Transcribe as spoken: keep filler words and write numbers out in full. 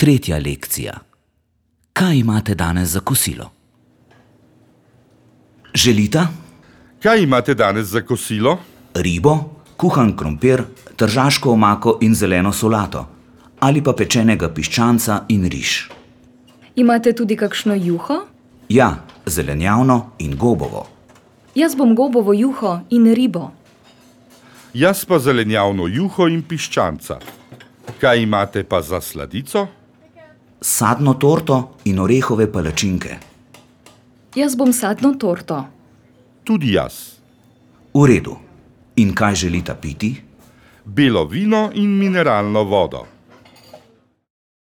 Tretja lekcija. Kaj imate danes za kosilo? Želita? Kaj imate danes za kosilo? Ribo, kuhan krompir, tržaško omako in zeleno solato. Ali pa pečenega piščanca in riž. Imate tudi kakšno juho? Ja, zelenjavno in gobovo. Jaz bom gobovo juho in ribo. Jaz pa zelenjavno juho in piščanca. Kaj imate pa za sladico? Sadno torto in orehove palačinke. Jaz bom sadno torto. Tudi jaz. V redu. In kaj želita piti? Belo vino in mineralno vodo.